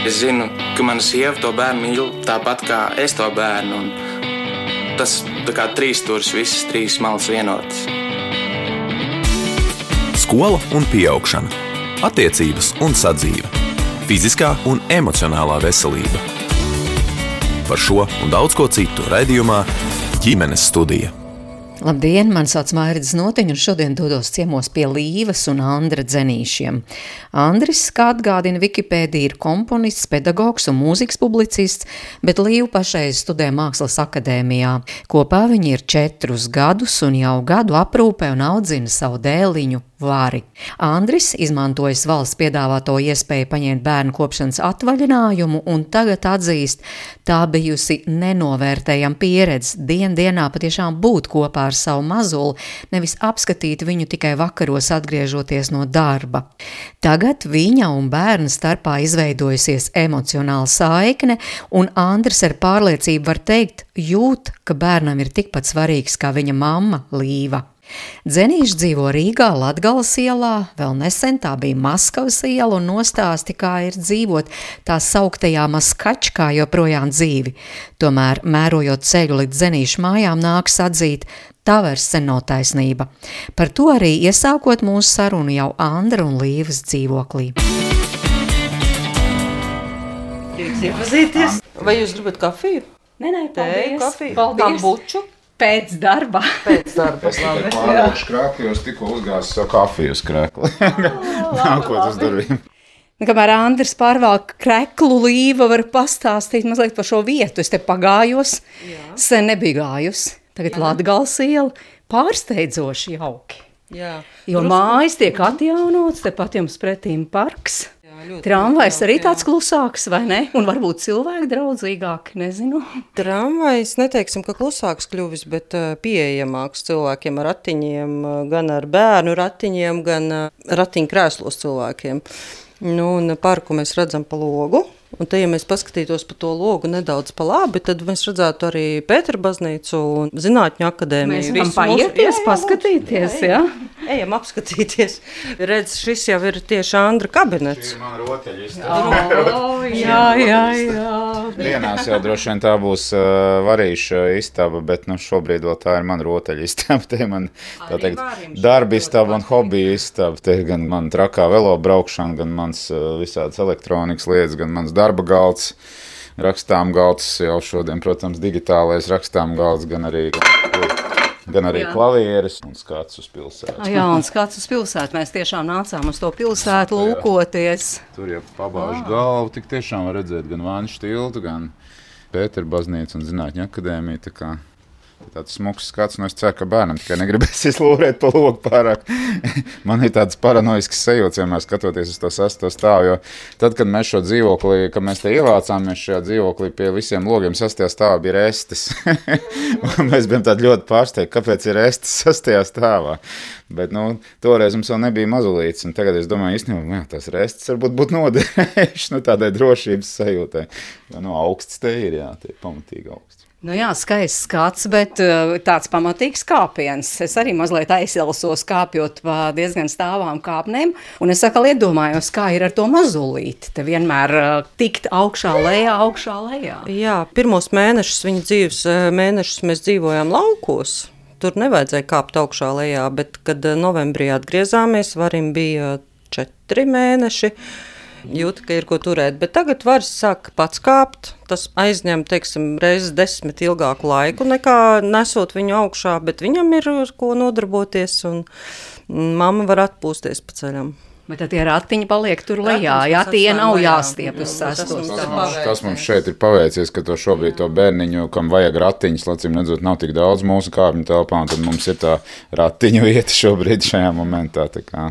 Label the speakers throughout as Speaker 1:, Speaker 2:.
Speaker 1: Es zinu, ka mana sieva to bērnu mīl tāpat kā es to bērnu. Un tas tā kā trīs stūris, visas trīs malas vienotas.
Speaker 2: Skola un pieaugšana, attiecības un sadzīve, fiziskā un emocionālā veselība. Par šo un daudz ko citu raidījumā Ģimenes studija.
Speaker 3: Labdien, mani sauc Mairida Znotiņa, un šodien dodos ciemos pie Līvas un Andra Dzenīšiem. Andris, kā atgādina Wikipēdija, ir komponists, pedagogs un mūzikas publicists, bet Līva pašreiz studē Mākslas akadēmijā. Kopā viņi ir 4 gadus un jau gadu aprūpē un audzina savu dēliņu Vari. Andris, izmantojis valsts piedāvāto iespēju paņemt bērnu kopšanas atvaļinājumu, un tagad atzīst, tā bijusi nenovērtējama pieredze dienā patiešām būt kopā ar savu mazuli, nevis apskatīt viņu tikai vakaros atgriežoties no darba. Tagad viņa un bērna starpā izveidojusies emocionāla saikne, un Andris ar pārliecību var teikt, jūt, ka bērnam ir tikpat svarīgs kā viņa mamma Līva. Dzenīši dzīvo Rīgā, Latgales ielā, vēl nesen tā bija Maskavas iela, un nostāsti, kā ir dzīvot tā sauktajā Maskačkā joprojām dzīvi. Tomēr, mērojot ceļu līdz Dzenīšu mājām, nāks atzīt, tā vairs sen nav taisnība. Par to arī iesākot mūsu sarunu jau Andra un Līvas dzīvoklī.
Speaker 4: Jūs iepazīties? Vai jūs gribat kafiju?
Speaker 3: Nē,
Speaker 4: Tēju, kafiju?
Speaker 3: Paldies.
Speaker 4: Buču?
Speaker 3: Pēc darba.
Speaker 4: Pēc darba.
Speaker 5: Es tikai pārējuši krēkli, jo es tikko uzgāzu savu kafiju uz krēkli. Nākot uz durvīm.
Speaker 3: Kamēr Andris pārvalk kreklu, Līva var pastāstīt mazliet par šo vietu. Es te pagājos, sen nebiju gājusi. Tagad Latgales iela pārsteidzoši jauki.
Speaker 4: Jā.
Speaker 3: Jo mājas tiek atjaunots, tepat jums pretīm parks. Tramvajs arī tāds klusāks, vai ne? Un varbūt cilvēki draudzīgāki, nezinu.
Speaker 4: Tramvajs, neteiksim, ka klusāks kļuvis, bet pieejamāks cilvēkiem ar ratiņiem, gan ar bērnu ratiņiem, gan ratiņkrēslos cilvēkiem. Nu, un parku mēs redzam pa logu. Un te, ja mēs paskatītos pa to logu nedaudz pa labi, tad mēs redzētu arī Pētera baznīcu un Zinātņu akadēmiju.
Speaker 3: Mēs varam paieties, paskatīties, jā?
Speaker 4: Ejam apskatīties. Redz, šis jau ir tieši Andra kabinets.
Speaker 5: Šī ir mana rotaļistaba.
Speaker 3: Jā.
Speaker 5: Dienās jau droši vien tā būs varīša istaba, bet šobrīd vēl tā ir mana rotaļistaba. Te man, tā teikt, darba istaba un hobija istaba. Te gan man trakā velo braukšana, gan mans visādas elektronikas lietas, gan mans darba galds, rakstām galds, jau šodien, protams, digitālais rakstām galds, gan arī klavieres un skats uz pilsētu.
Speaker 3: Jā, un skats uz pilsētu. Mēs tiešām nācām uz to pilsētu lūkoties.
Speaker 5: Tur jau pabāžu galvu, tik tiešām var redzēt gan Vāņu tiltu, gan Pētera baznīcu un Zinātņu akadēmiju, tā kā tāds smuks skats, es ceru, ka bērnam tikai negribēsies lūrēt pa logu pārāk. Man ir tāds paranoisks sajūts, vienmēr skatoties uz to 6. stāvu, jo tad, kad mēs šo dzīvoklī, kad mēs te ievācāmies šajā dzīvoklī, pie visiem logiem 6. stāvā bija restes. Mēs bijām tādi ļoti pārsteigti, kāpēc ir restes 6. stāvā. Bet, toreiz mums vēl nebija mazulītes, un tagad es domāju, īstenībā, tās restes varbūt būtu noderējuši, tādai drošības sajūtai. Jo, augsts te ir, jā, tie ir pamatīgi augsts.
Speaker 3: Jā, skaists skats, bet tāds pamatīgs kāpiens. Es arī mazliet aizsilsos kāpjot pa diezgan stāvām kāpnēm, un es atkal iedomājos, kā ir ar to mazulīti. Te vienmēr tikt augšā lejā.
Speaker 4: Jā, pirmos mēnešus viņa dzīves mēnešus mēs dzīvojām laukos. Tur nevajadzēja kāpt augšā lejā, bet, kad novembrī atgriezāmies, Varim bija 4 mēneši. Jūta, ka ir ko turēt, bet tagad Varis sāk pats kāpt. Tas aizņem, reizes 10 ilgāku laiku nekā nesot viņu augšā, bet viņam ir ar ko nodarboties, un mamma var atpūsties pa ceļam.
Speaker 3: Bet tad tie ratiņi paliek tur lejā, tie nav jāstiep uz 6.
Speaker 5: Tas mums šeit ir paveicies, ka šobrīd to bērniņu, kam vajag ratiņus, lacīm redzot, nav tik daudz mūsu kāpņu telpā, un tad mums ir tā ratiņu vieta šobrīd šajā momentā, tā kā,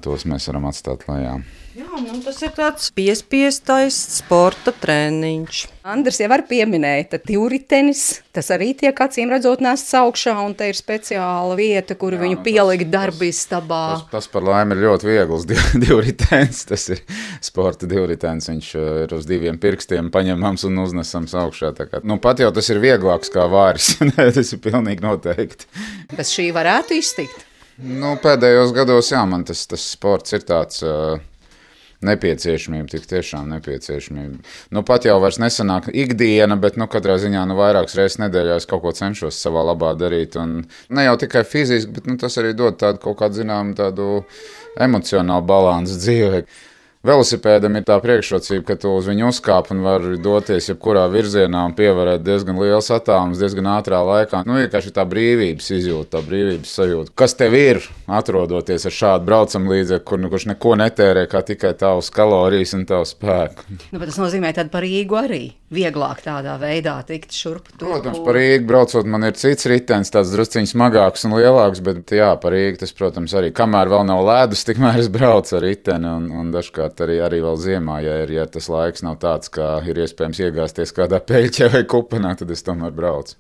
Speaker 5: tos mēs varam atstāt lejā.
Speaker 4: Jā, tas ir tāds piespiestais sporta treniņš.
Speaker 3: Andris jau var pieminēt, divritenis, tas arī tiek acīm redzot nests augšā, un te ir speciāla vieta, kur viņu pielikt darbistabā.
Speaker 5: Tas par laimi ir ļoti viegls divritenis, tas ir sporta divritenis, viņš ir uz 2 pirkstiem paņemams un uznesams augšā. Pat jau tas ir vieglāks kā Varis, tas ir pilnīgi noteikti.
Speaker 3: Bet šī varētu iztikt?
Speaker 5: Pēdējos gados, man tas sports ir tāds nepieciešamība, tik tiešām nepieciešamība. Nu, pat jau vairs nesanāk ikdiena, bet, katrā ziņā, vairākas reizes nedēļā es kaut ko cenšos savā labā darīt. Un ne jau tikai fiziski, bet, tas arī dod tādu kaut kādu, tādu emocionālu balansu dzīvē. Velosipēdam ir tā priekšrocība, ka tu uz viņu uzkāp un vari doties jebkurā virzienā un pievarēt diezgan liels attālums, diezgan ātrā laikā. Vienkārši tā brīvības izjūta, tā brīvības sajūta. Kas tev ir, atrodoties ar šādu braucamlīdzekli, kurš neko netērē, kā tikai tavas kalorijas un tavu spēku?
Speaker 3: Tas nozīmē, ka par Rīgu arī vieglāk tādā veidā tikt šurp.
Speaker 5: Protams, par Rīgu braucot, man ir cits ritenis, tāds drusciņš smagāks un lielāks, bet jā, par Rīgu tas, protams, arī kamēr vēl nav ledus, tikmēr es braucu ar riteni un dažkārt arī vēl ziemā, ja tas laiks nav tāds, kā ir iespējams iegāzties kādā peļķē vai kupenā, tad es tomēr braucu.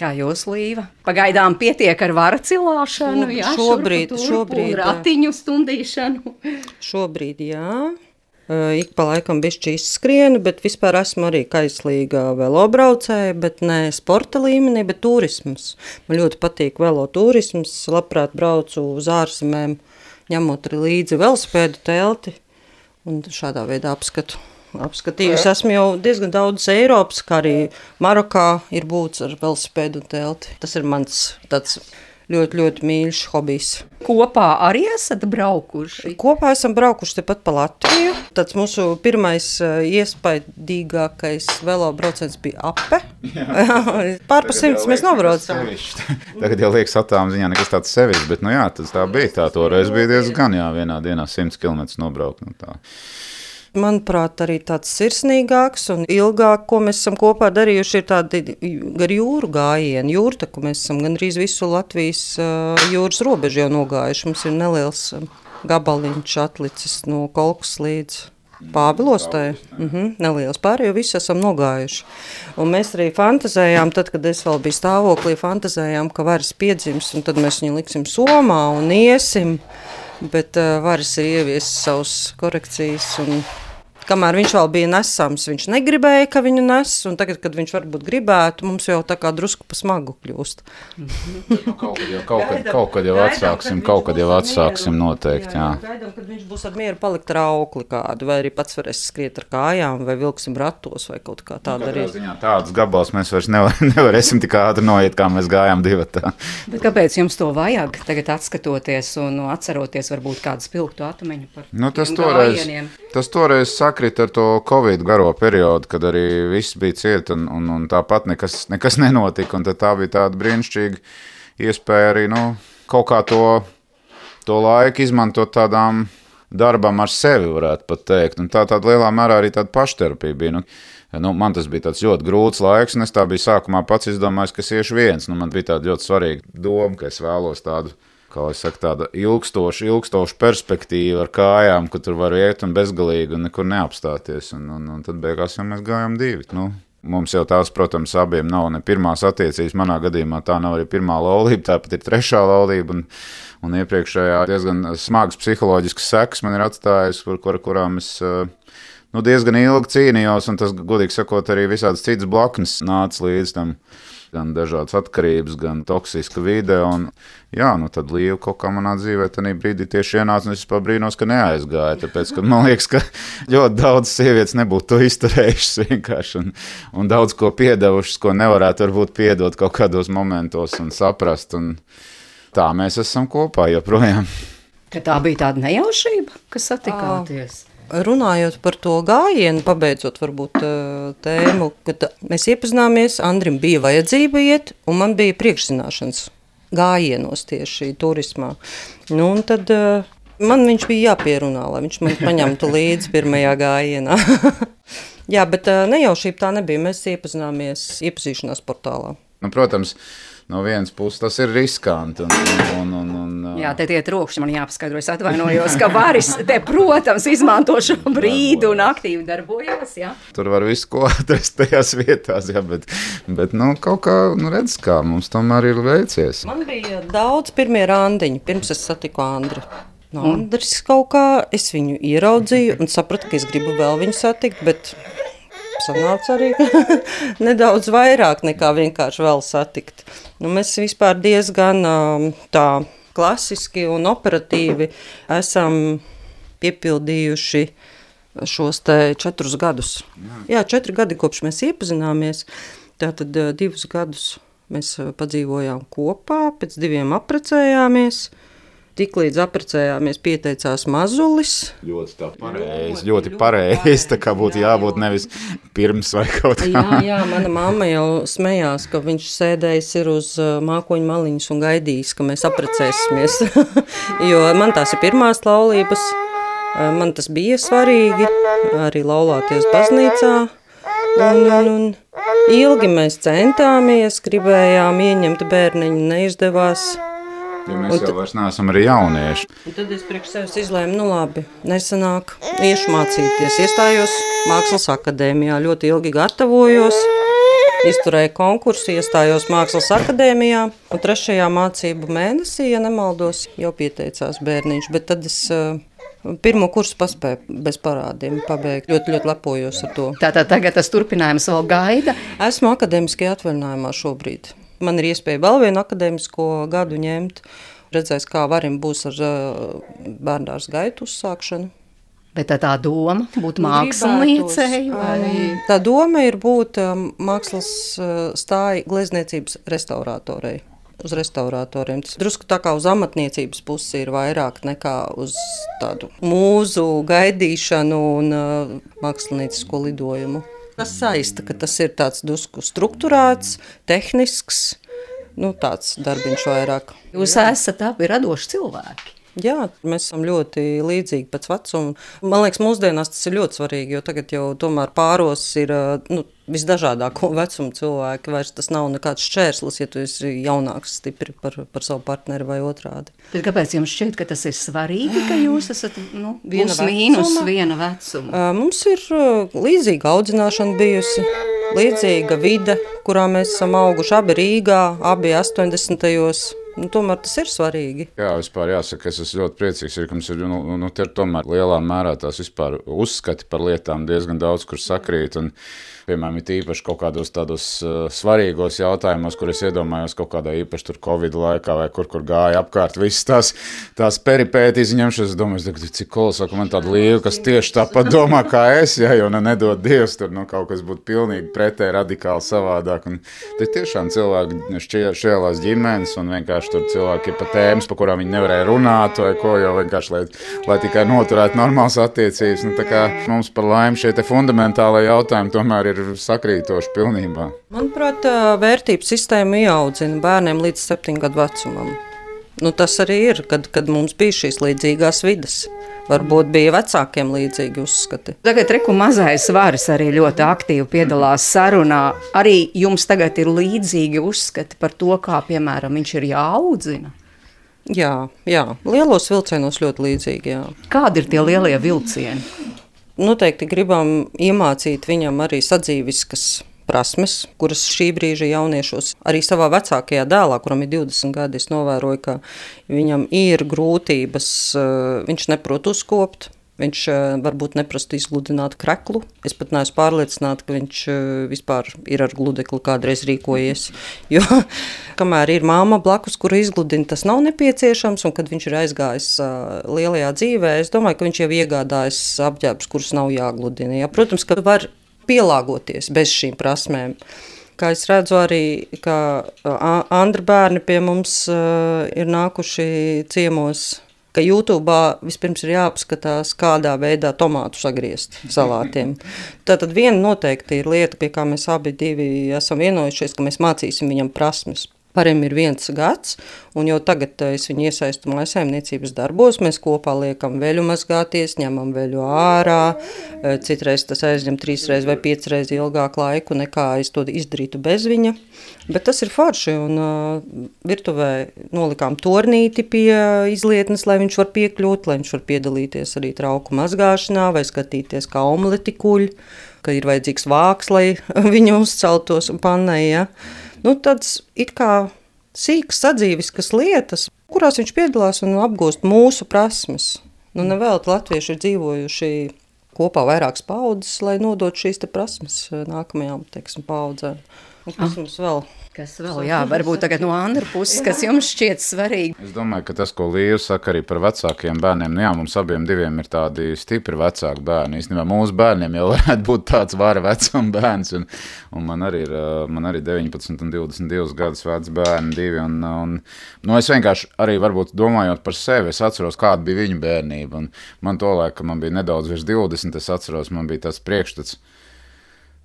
Speaker 3: Kā jūs, Līva? Pagaidām pietiek ar vara cilāšanu,
Speaker 4: šobrīd
Speaker 3: ratiņu stundīšanu.
Speaker 4: Šobrīd, jā. Ik pa laikam bišķi izskrienu, bet vispār esmu arī kaislīga velobraucēja, bet ne sporta līmenī, bet turisms. Man ļoti patīk veloturisms, labprāt braucu uz ārzemēm, ņemot arī līdzi velosipēdu telti un šādā veidā apskatījusi. Esmu jau diezgan daudz Eiropas, kā arī Marokā ir būts ar velosipēdu un telti. Tas ir mans tāds ļoti, ļoti mīļš hobijs.
Speaker 3: Kopā arī esat braukuši?
Speaker 4: Kopā esam braukuši tepat pa Latviju. Tāds mūsu pirmais iespaidīgākais velobrauciens bija Ape. Pārpa 100 mēs nobraucam.
Speaker 5: Tagad jau liekas attāluma ziņā nekas tāds sevišķs, bet tas tā bija. Tā toreiz bija diezgan, vienā dienā 100 km nobraukt.
Speaker 4: Manuprāt, arī tāds sirsnīgāks un ilgāk, ko mēs esam kopā darījuši, ir tādi gar jūru gājieni. Jūrtaku mēs esam gandrīz visu Latvijas jūras robežu jau nogājuši. Mums ir neliels gabaliņš atlicis no Kolkas līdz Pāvilostai. Neliels pārējo visu esam nogājuši. Un mēs arī fantazējām, tad, kad es vēl biju stāvoklī, fantazējām, ka varas piedzims, un tad mēs viņu liksim somā un iesim. Bet varas ir ieviesis savus korekcijas, un kamēr viņš vēl bija nesams, viņš negribēja, ka viņu nes, un tagad, kad viņš varbūt gribētu, mums jau tā kā drusku pa smagu kļūst.
Speaker 5: Kaut kad jau atsāksim noteikti, jā.
Speaker 4: Gaidām, kad viņš būs ar mieru palikt ar aukli kādu, vai arī pats varēs skriet ar kājām, vai vilksim ratos, vai kaut kā tāda arī.
Speaker 5: Tādus gabals mēs vairs nevarēsim tik ātri noiet, kā mēs gājām divatā.
Speaker 3: Bet kāpēc jums to vajag tagad atskatoties un atceroties varbūt kādu spilgtu atumeņu par gājieniem?
Speaker 5: Tas toreiz sakrita ar to Covid garo periodu, kad arī viss bija ciet un tāpat nekas nenotika. Un tā bija tāda brīnišķīga iespēja arī kaut kā to laiku izmantot tādām darbam ar sevi, varētu pat teikt. Un tāda lielā mērā arī tāda pašterapija bija. Man tas bija tāds ļoti grūts laiks, un es tā biju sākumā pats izdomājis, ka es iešu viens. Man bija tāda ļoti svarīga doma, ka es vēlos tādu, kā es saku, tāda ilgstoša perspektīva ar kājām, ka tur var iet un bezgalīgi un nekur neapstāties. Un tad beigās jau mēs gājām divi. Mums jau tās, protams, abiem nav ne pirmās attiecības. Manā gadījumā tā nav arī pirmā laulība, tāpat ir trešā laulība. Un iepriekšējā diezgan smagas psiholoģiskas sekas man ir atstājusi, kurām es diezgan ilgi cīnījos. Un tas, godīgi sakot, arī visādas citas blaknes nāca līdz tam. Gan dažādas atkarības, gan toksiska vide. Tad Līva kaut kā manā dzīvē tajā brīdī tieši ienāca, un es pabrīnos, ka neaizgāja. Tāpēc, ka man liekas, ka ļoti daudz sievietes nebūtu to izturējušas vienkārši un daudz ko piedevušas, ko nevarētu varbūt piedot kaut kādos momentos un saprast. Un tā mēs esam kopā joprojām.
Speaker 3: Ka tā bija tāda nejaušība, kas satikāties?
Speaker 4: Runājot par to gājienu, pabeidzot varbūt tēmu, kad mēs iepazināmies, Andrim bija vajadzība iet, un man bija priekšzināšanas gājienos tieši turismā. Un tad man viņš bija jāpierunā, lai viņš man paņemtu līdzi pirmajā gājienā. Jā, bet nejaušība tā nebija, mēs iepazināmies iepazīšanās portālā.
Speaker 5: Protams, no vienas puses tas ir riskanti.
Speaker 3: Jā, te tie trokšņi man jāpaskaidro, es atvainojos, ka varis te, protams, izmanto šo brīdi un aktīvi darbojās, jā.
Speaker 5: Tur var visu ko atrast tajās vietās, jā, bet kaut kā, redz kā, mums tomēr ir veicies.
Speaker 4: Man bija daudz pirmie randiņi, pirms es satiku Andri. Andris kaut kā, es viņu ieraudzīju un sapratu, ka es gribu vēl viņu satikt, bet sanāca arī nedaudz vairāk nekā vienkārši vēl satikt. Mēs vispār diezgan tā klasiski un operatīvi esam piepildījuši šos te 4 gadus. Jā, 4 gadi kopš mēs iepazināmies, tātad 2 gadus mēs padzīvojām kopā, pēc 2 apprecējāmies. Tiklīdz apprecējāmies, pieteicās mazulis.
Speaker 5: Ļoti pareizi, tā kā būtu jābūt nevis pirms vai kaut kā.
Speaker 4: Jā, mana mamma jau smējās, ka viņš sēdējis ir uz mākoņu maliņas un gaidījis, ka mēs apprecēsimies. Jo man tās ir pirmās laulības, man tas bija svarīgi, arī laulāties baznīcā. Un ilgi mēs centāmies, gribējām ieņemt bērniņu, neizdevās.
Speaker 5: Ja mēs jau vairs neesam arī jaunieši.
Speaker 4: Un tad es priekš sevis izlēmu, nu labi, nesanāk, iešu mācīties. Iestājos Mākslas akadēmijā, ļoti ilgi gatavojos, izturēju konkursu, iestājos Mākslas akadēmijā. Un 3. mācību mēnesī, ja nemaldos, jau pieteicās bērniņš, bet tad es 1. kursu paspēju bez parādiem pabeigt. Ļoti lepojos ar to.
Speaker 3: Tātad tagad tas turpinājums vēl gaida?
Speaker 4: Esmu akadēmiskajā atvaļinājumā šobrīd. Man ir iespēja vēl vienu akadēmisko gadu ņemt. Redzēs, kā varim būs ar bērndārs gaitu uzsākšanu.
Speaker 3: Bet tā doma būt māksliniecei?
Speaker 4: Tā doma ir būt mākslas stāja glezniecības restaurātorei. Uz restaurātoriem. Tas drusku tā kā uz amatniecības pusi ir vairāk nekā uz tādu mūzu gaidīšanu un māksliniecisko lidojumu. Tas saista, ka tas ir tāds drusku strukturēts, tehnisks, tāds darbiņš vairāk.
Speaker 3: Jūs esat abi radoši cilvēki.
Speaker 4: Jā, mēs esam ļoti līdzīgi pēc vecuma. Man liekas, mūsdienās tas ir ļoti svarīgi, jo tagad jau tomēr pāros ir visdažādāko vecumu cilvēki. Vairs tas nav nekāds šķērslis, ja tu esi jaunāks stipri par savu partneri vai otrādi.
Speaker 3: Bet kāpēc jums šķiet, ka tas ir svarīgi, ka jūs esat viena vecuma?
Speaker 4: Mums ir līdzīga audzināšana bijusi, līdzīga vide, kurā mēs esam auguši abi Rīgā, abi 80. Tomēr tas ir svarīgi.
Speaker 5: Jā, vispār jāsaka, es esmu ļoti priecīgs, ka mums ir te tomēr lielā mērā tās vispār uzskati par lietām diezgan daudz, kur sakrīt. Un, piemēram, ir īpaši kaut kādos tādos svarīgos jautājumos, kur es iedomājos kaut kādā īpaši tur Covid laikā vai kur gāja apkārt visas tās peripētīs ņemšanas. Es domāju, cik kolosāli, ka man tāda līva, kas tieši tāpat domā kā es, ja, jo nedod Dievs, tur kaut kas būtu pilnīgi pretēji radikāli savādāk. Un te tiešām cilvēki šķēlās ģimenes un vienkārši tur cilvēki ir pa tēmas, pa kurām viņi nevarēja runāt vai ko, jo vienkārši, lai tikai noturētu normālas attiecības. Tā kā mums par laimi šie te fundamentālai jautājumi tomēr ir sakrītoši pilnībā.
Speaker 4: Manuprāt, vērtības sistēma ieaudzina bērniem līdz 7 gadu vecumam. Tas arī ir, kad mums bija šīs līdzīgās vides. Varbūt bija vecākiem līdzīgi uzskati.
Speaker 3: Tagad reku mazais Varis arī ļoti aktīvi piedalās sarunā. Arī jums tagad ir līdzīgi uzskati par to, kā, piemēram, viņš ir jāaudzina?
Speaker 4: Jā, lielos vilcienos ļoti līdzīgi, jā.
Speaker 3: Kādi ir tie lielie vilcieni?
Speaker 4: Noteikti gribam iemācīt viņam arī sadzīviskas prasmes, kuras šī brīža jauniešos arī savā vecākajā dēlā, kuram ir 20 gadi, es novēroju, ka viņam ir grūtības, viņš neprot uzkopt, viņš varbūt neprastu izgludināt kreklu. Es pat neesmu pārliecināta, ka viņš vispār ir ar gludekli kādreiz rīkojies, jo kamēr ir māma blakus, kura izgludina, tas nav nepieciešams, un kad viņš ir aizgājis lielajā dzīvē, es domāju, ka viņš jau iegādājas apģērbus, kurus nav jāgludina. Jā, protams, ka var pielāgoties bez šīm prasmēm. Kā es redzu arī, ka Andra bērni pie mums ir nākuši ciemos, ka YouTube vispirms ir jāapskatās, kādā veidā tomātu sagriezt salātiem. Tātad viena noteikti ir lieta, pie kā mēs abi divi esam vienojušies, ka mēs mācīsim viņam prasmes. Parim ir 1 gads, un jau tagad es viņu iesaistu mājsaimniecības darbos. Mēs kopā liekam veļu mazgāties, ņemam veļu ārā. Citreiz tas aizņem 3 reizes vai 5 reizes ilgāku laiku, nekā es to izdarītu bez viņa. Bet tas ir forši, un virtuvē nolikām tornīti pie izlietnes, lai viņš var piekļūt, lai viņš var piedalīties arī trauku mazgāšanā vai skatīties, kā omleti kuļ, ka ir vajadzīgs vāks, lai viņa uzceltos pannai, ja. Tāds it kā sīks sadzīviskas lietas, kurās viņš piedalās un apgūst mūsu prasmes. Nevēl latvieši ir dzīvojuši kopā vairākas paudzes, lai nodot šīs te prasmes nākamajām, paudzēm. Un kas mums vēl?
Speaker 3: Kas vēl, varbūt tagad no Andra puses, kas jums šķiet svarīgi?
Speaker 5: Es domāju, ka tas, ko Līva saka arī par vecākiem bērniem, mums abiem diviem ir tādi stipri vecāki bērni. Īstenībā mūsu bērniem jau varētu būt tāds vara vecuma bērns, un man arī ir 19 un 22 gadus veci bērni divi, un es vienkārši arī varbūt domājot par sevi, es atceros, kāda bija viņu bērnība, un man tolaik, ka man bija nedaudz virs 20, es atceros, man bija tas priekšstats,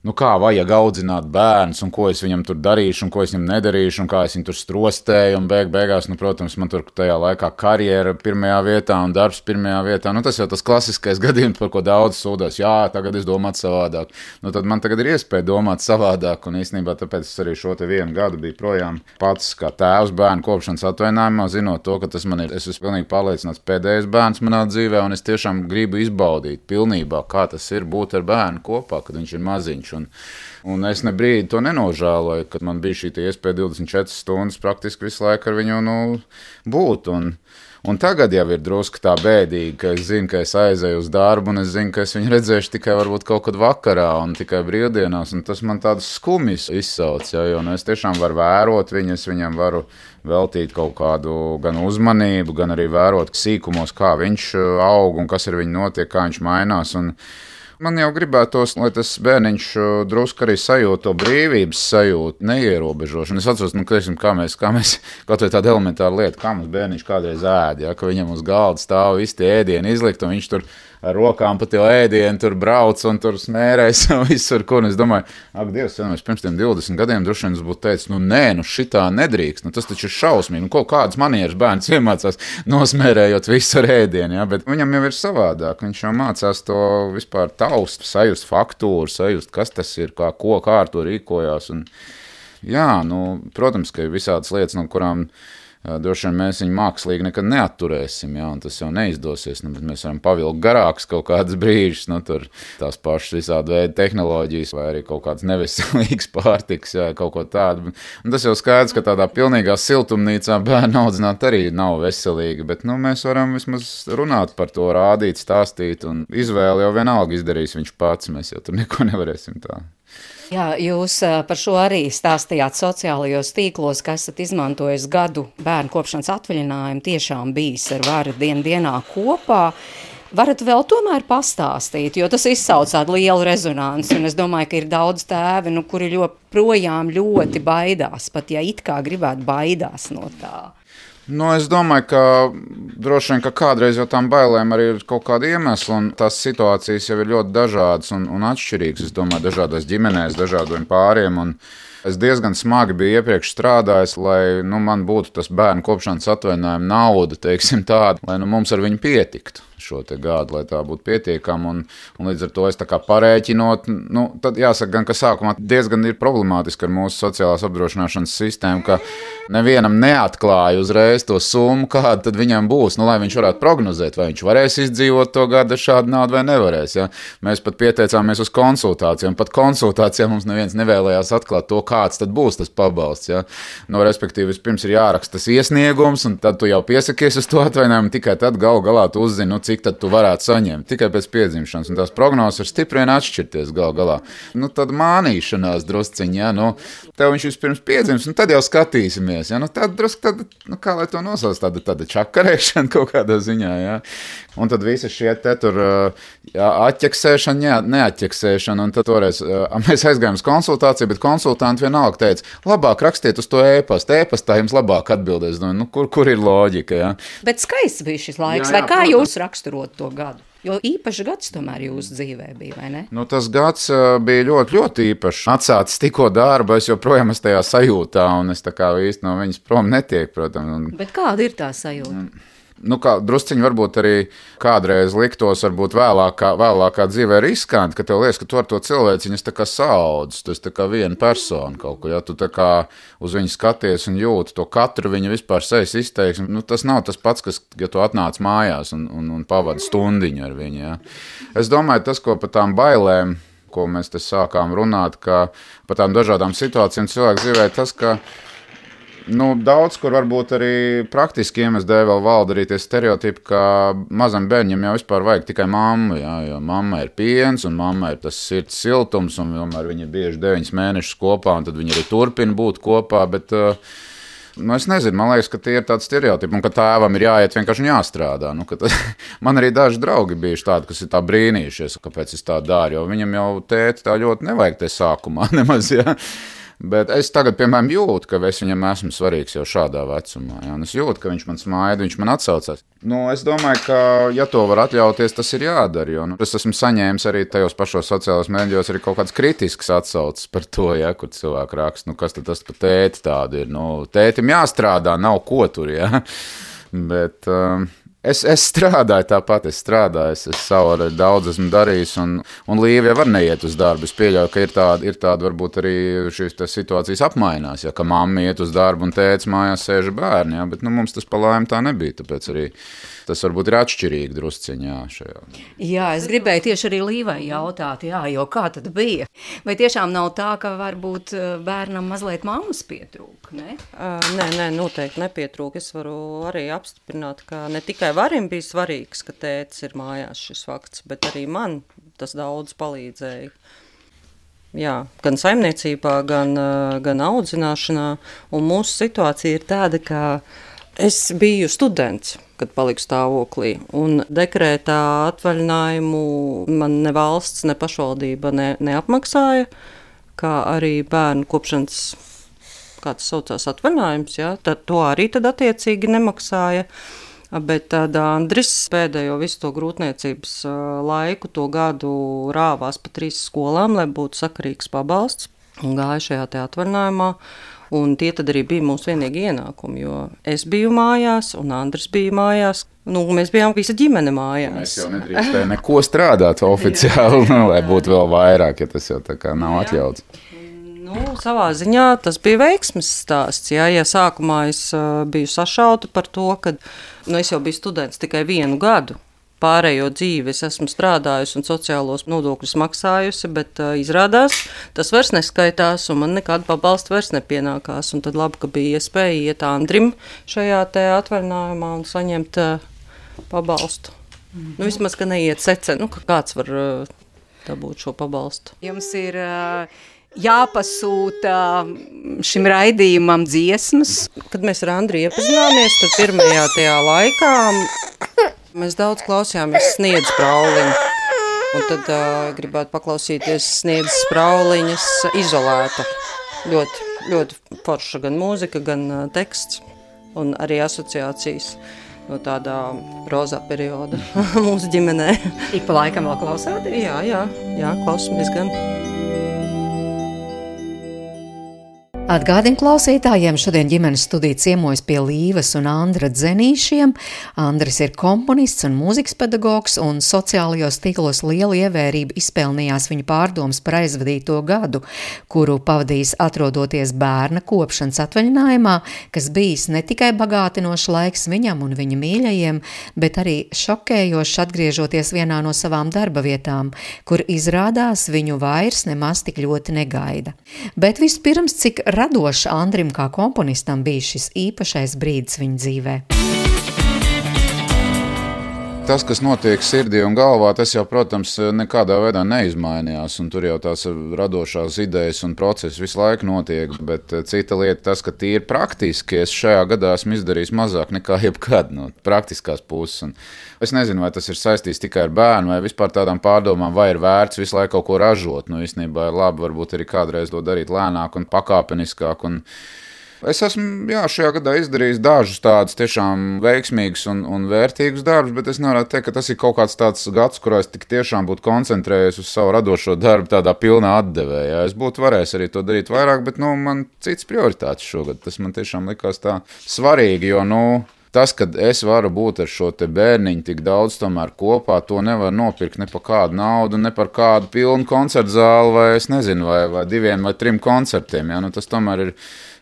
Speaker 5: kā vajag audzināt bērns, un ko es viņam tur darīšu, un ko es viņam nedarīšu, un kā es viņu tur strostēju, un beigās, protams, man tur tajā laikā karjera pirmajā vietā un darbs pirmajā vietā. Tas jau tas klasiskais gadījums, par ko daudz sūdās. Jā, tagad es domātu savādāk. Tad man tagad ir iespēja domāt savādāk, un īstenībā tāpēc es arī šo te 1 gadu biju projām pats kā tēvs bērnu kopšanas atvaļinājumā, zinot to, ka tas man ir, es esmu pilnīgi pārliecināts pēdējais bērns manā dzīvē, un es tiešām gribu izbaudīt pilnībā, kā tas ir būt ar bērnu kopā, kad viņš ir maziņš. Un es ne brīdi to nenožēloju, kad man bija šī iespēja 24 stundas praktiski visu laiku ar viņu būt. Un tagad jau ir drusku tā bēdīgi, ka es zinu, ka es aizēju uz darbu, un es zinu, ka es viņu redzēšu tikai varbūt kaut kad vakarā un tikai brīvdienās, un tas man tādus skumjus izsauc, jo es tiešām varu vērot viņu, es viņam varu veltīt kaut kādu gan uzmanību, gan arī vērot sīkumos, kā viņš aug un kas ar viņu notiek, kā viņš mainās. Man jau gribētos, lai tas bērniņš drusku arī sajūt to brīvības sajūtu, neierobežošanu. Es atceros, kā mēs kaut vai tāda elementāra lieta, kā mums bērniņš kādreiz ēd, ka viņam uz galda stāv visi tie ēdieni izlikt, un viņš tur ar rokām pa tie ēdienu tur brauc un tur smērēs un visur, kur. Es domāju, ak, Dievs, pirms tiem 20 gadiem droši vien es būtu teicis, šitā nedrīkst, tas taču ir šausmīgi, kādas manieras bērns iemācās nosmērējot visu ar ēdienu, bet viņam jau ir savādāk, viņš jau mācās to vispār taust, sajust faktūru, sajust, kas tas ir, kā ar to rīkojās, un protams, ka ir visādas lietas, no kurām droši vien mēs viņu mākslīgi nekad neatturēsim, un tas jau neizdosies, bet mēs varam pavilkt garākus kaut kādus brīžus, tur tās pašas visādi veidi tehnoloģijas vai arī kaut kāds neveselīgs pārtiks, kaut ko tādu. Un tas jau skaidrs, ka tādā pilnīgā siltumnīcā bērnu audzināt arī nav veselīgi, bet mēs varam vismaz runāt par to, rādīt, stāstīt, un izvēli jau vienalga izdarīs viņš pats, mēs jau tur neko nevarēsim tā.
Speaker 3: Jā, jūs par šo arī stāstījāt sociālajos tīklos, ka esat izmantojis gadu bērnu kopšanas atvaļinājumu, tiešām bijis ar varu dienā kopā. Varat vēl tomēr pastāstīt, jo tas izsauc tādu lielu rezonanci, un es domāju, ka ir daudz tēvi, kuri joprojām ļoti baidās, pat ja it kā gribētu baidās no tā.
Speaker 5: Es domāju, ka droši vien, ka kādreiz jau tām bailēm arī ir kaut kāda iemesla, un tās situācijas jau ir ļoti dažādas un atšķirīgas. Es domāju, dažādās ģimenēs, dažādiem pāriem, un es diezgan smagi biju iepriekš strādājis, lai man būtu tas bērnu kopšanas atvaļinājuma nauda, teiksim tāda, lai mums ar viņu pietiktu šo te gadu, lai tā būtu pietiekama, un līdz ar to es tā kā parēķinot, tad jāsaka gan, ka sākumā diezgan ir problemātiski ar mūsu sociālās apdrošināšanas sistēmu, ka nevienam neatklāja uzreiz to summu, kāda tad viņam būs, lai viņš varētu prognozēt, vai viņš varēs izdzīvot to gadu ar šādu naudu vai nevarēs. Ja? Mēs pat pieteicāmies uz konsultācijām, pat konsultācijām mums neviens nevēlējās atklāt to, kāds tad būs tas pabalsts. Ja? Respektīvi, vispirms ir jāraksta tas iesniegums, un tad tu jau piesakies uz to atvaļinājumu, tikai tad galu galā tu uzzini, cik tad tu varētu saņemt tikai pēc piedzimšanas, un tās prognozes var stipri vien atšķirties galu galā. Tad mānīšanās drusciņi, tev viņš vispirms piedzims, un tad jau skatīsimies, tad drusku, kā lai to nosauc, tāda čakarēšana kaut kādā ziņā, un tad visi šie te tur atķeksēšana, neatķeksēšana, un tad toreiz mēs aizgājām uz konsultāciju, bet konsultanti vienalga teica, labāk rakstiet uz to ēpastu, ēpastā jums labāk atbildēs, kur ir loģika, Bet
Speaker 3: skaists bija šis laiks, vai kā jūs raksturot to gadu? Jo īpašs gads tomēr jūsu dzīvē bija, vai ne?
Speaker 5: Tas gads bija ļoti, ļoti īpašs. Atsācis tikko darbu, es joprojām esmu tajā sajūtā, un es tā kā īsti no viņas prom netiek, protams.
Speaker 3: Bet kāda ir tā sajūta?
Speaker 5: Kā drusciņi varbūt arī kādreiz liktos, varbūt vēlākā dzīvē riskanti, ka tev liekas, ka tu ar to cilvēciņas tā kā saudz, tu esi tā kā viena persona kaut ko, tu tā kā uz viņu skaties un jūti to katru viņa vispār sejas izteiksmi, tas nav tas pats, kas, ja tu atnāc mājās un pavadi stundiņu ar viņu, Es domāju, tas, ko par tām bailēm, ko mēs te sākām runāt, ka par tām dažādām situācijām cilvēku dzīvē, tas, ka Daudz, kur varbūt arī praktiski iemesli dēļ vēl valda arī tie stereotipi, ka mazam bērņam jau vispār vajag tikai mammu, jā, jo mamma ir piens un mamma ir tas sirds siltums, un tomēr viņi ir bieži 9 mēnešus kopā, un tad viņi arī turpina būt kopā, bet es nezinu, man liekas, ka tie ir tādi stereotipi, un ka tēvam ir jāiet vienkārši un jāstrādā. Man arī daži draugi bijuši tādi, kas ir tā brīnījušies, kāpēc es tā daru, jo viņam jau tēti tā ļoti nevajag te sākumā nemaz, jā. Bet es tagad, piemēram, jūtu, ka es viņam esmu svarīgs jau šādā vecumā. Jā, un es jūtu, ka viņš man smaida, viņš man atsaucās. Es domāju, ka, ja to var atļauties, tas ir jādara. Jo, es esmu saņēmis arī tajos pašos sociālos mēdījos arī kaut kāds kritisks atsaucis par to, ja, kur cilvēki raksta, kas tad tas pa tēti tādi ir. Tētim jāstrādā, nav ko tur, ja. Bet es strādāju tāpat, es savu arī daudz esmu darījis, un Līva jau var neiet uz darbu. Es pieļauju, ka ir tāda varbūt arī šīs situācijas apmainās, ja, ka mamma iet uz darbu un tētis mājās sēž bērni, ja, bet mums tas pa laimi tā nebija, tāpēc arī tas varbūt ir atšķirīgi drusciņā šajā.
Speaker 3: Jā, es gribēju tieši arī Līvai jautāt, jo kā tad bija? Vai tiešām nav tā, ka varbūt bērnam mazliet mammas pietrūk, ne?
Speaker 4: Nē, noteikti nepietrūk. Es varu arī apstiprināt, ka ne tikai Varim bija svarīgs, ka tētis ir mājās šis fakts, bet arī man tas daudz palīdzēja. Jā, gan saimniecībā, gan audzināšanā, un mūsu situācija ir tāda, ka es biju students, kad paliku stāvoklī, un dekrētā atvaļinājumu man ne valsts, ne pašvaldība neapmaksāja, kā arī bērnu kopšanas, kā tas saucās, atvaļinājums, jā, tad to arī tad attiecīgi nemaksāja. Bet tad Andris pēdējo visu to grūtniecības laiku, to gadu rāvās pa 3 skolām, lai būtu sakarīgs pabalsts, un gāja šajā te atvaļinājumā. Un tie tad arī bija mūsu vienīgi ienākumi, jo es biju mājās, un Andris bija mājās. Mēs bijām visa ģimene mājās.
Speaker 5: Mēs jau nedrīkstējām neko strādāt oficiāli, lai būtu vēl vairāk, ja tas jau tā kā nav atļauts.
Speaker 4: Savā ziņā tas bija veiksmes stāsts. Ja sākumā es biju sašauta par to, ka es jau biju students tikai 1 gadu. Pārējo dzīvi es esmu strādājusi un sociālos nodokļus maksājusi, bet izrādās, tas vairs neskaitās un man nekāda pabalsta vairs nepienākās. Un tad labi, ka bija iespēja iet Andrim šajā te atvaļinājumā un saņemt pabalstu. Vismaz, ka neiet secen, ka kāds var dabūt šo pabalstu.
Speaker 3: Jums ir jāpasūta šim raidījumam dziesmas.
Speaker 4: Kad mēs ar Andriju iepazināmies, tad pirmajā tajā laikā mēs daudz klausījāmies Sniedz Sprauliņu, un tad gribētu paklausīties Sniedz Sprauliņas Izolēta. Ļoti, ļoti forša gan mūzika, gan teksts, un arī asociācijas no tādā rozā perioda mūsu ģimenē.
Speaker 3: Ik pa laikam vēl klausāties?
Speaker 4: Jā, klausamies gan.
Speaker 3: Atgādinu klausītājiem, šodien ģimenes studija ciemojas pie Līvas un Andra Dzenīšiem. Andris ir komponists un mūzikas pedagogs, un sociālajos tīklos lielu ievērību izpelnījās viņa pārdomas par aizvadīto gadu, kuru pavadījis atrodoties bērna kopšanas atvaļinājumā, kas bijis ne tikai bagātinošs laiks viņam un viņa mīļajiem, bet arī šokējošs atgriežoties vienā no savām darba vietām, kur izrādās viņu vairs nemaz tik ļoti negaida. Bet vispirms, cik radoši Andrim kā komponistam bija šis īpašais brīdis viņa dzīvē.
Speaker 5: Tas, kas notiek sirdī un galvā, tas jau, protams, nekādā veidā neizmainījās, un tur jau tās radošās idejas un procesi visu laiku notiek, bet cita lieta tas, ka tīri praktiski es šajā gadā esmu izdarījis mazāk nekā jebkad no praktiskās puses. Un es nezinu, vai tas ir saistīts tikai ar bērnu vai vispār tādām pārdomām, vai ir vērts visu laiku kaut ko ražot. Īstenībā ir labi varbūt arī kādreiz to darīt lēnāk un pakāpeniskāk. Es esmu šajā gadā izdarījis dažus tādus tiešām veiksmīgus un vērtīgus darbus, bet es nevaru teikt, ka tas ir kaut kāds tāds gads, kurā es tik tiešām būtu koncentrējies uz savu radošo darbu tādā pilnā atdevē. Es būtu varējis arī to darīt vairāk, bet man cits prioritātes šogad. Tas man tiešām likās tā svarīgi, jo Tas, kad es varu būt ar šo te bērniņu tik daudz tomēr kopā, to nevar nopirkt ne par kādu naudu, ne par kādu pilnu koncertu zāli, vai es nezinu, vai 2 vai 3 koncertiem. Ja? Nu, tas tomēr ir